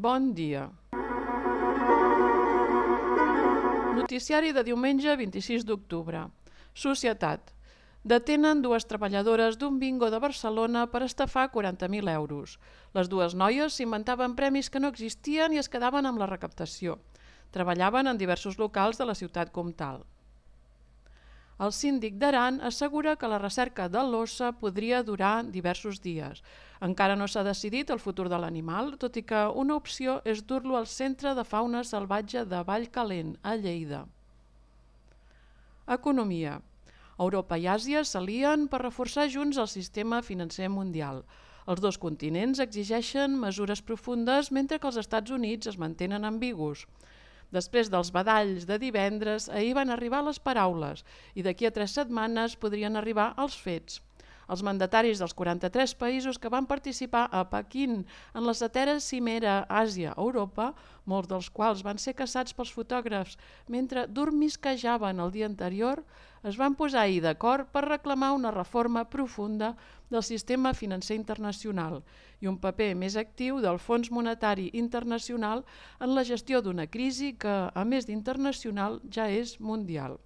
Bon dia. Noticiari de diumenge 26 d'octubre. Societat. Detenen dues treballadores d'un bingo de Barcelona per estafar 40.000 euros. Les dues noies s'inventaven premis que no existien i es quedaven amb la recaptació. Treballaven en diversos locals de la ciutat comtal. El síndic d'Aran assegura que la recerca de l'ossa podria durar diversos dies. Encara no s'ha decidit el futur de l'animal, tot i que una opció és dur-lo al Centre de Fauna Salvatge de Vallcalent, a Lleida. Economia. Europa i Àsia s'alien per reforçar junts el sistema financer mundial. Els dos continents exigeixen mesures profundes mentre que els Estats Units es mantenen ambigus. Després dels badalls de divendres, ahir van arribar les paraules i d'aquí a 3 setmanes podrien arribar els fets. Els mandataris dels 43 països que van participar a Pequín en la 7a cimera Àsia-Europa, molts dels quals van ser caçats pels fotògrafs mentre dormisquejaven el dia anterior, es van posar ahir d'acord per reclamar una reforma profunda del sistema financer internacional i un paper més actiu del Fons Monetari Internacional en la gestió d'una crisi que, a més d'internacional, ja és mundial.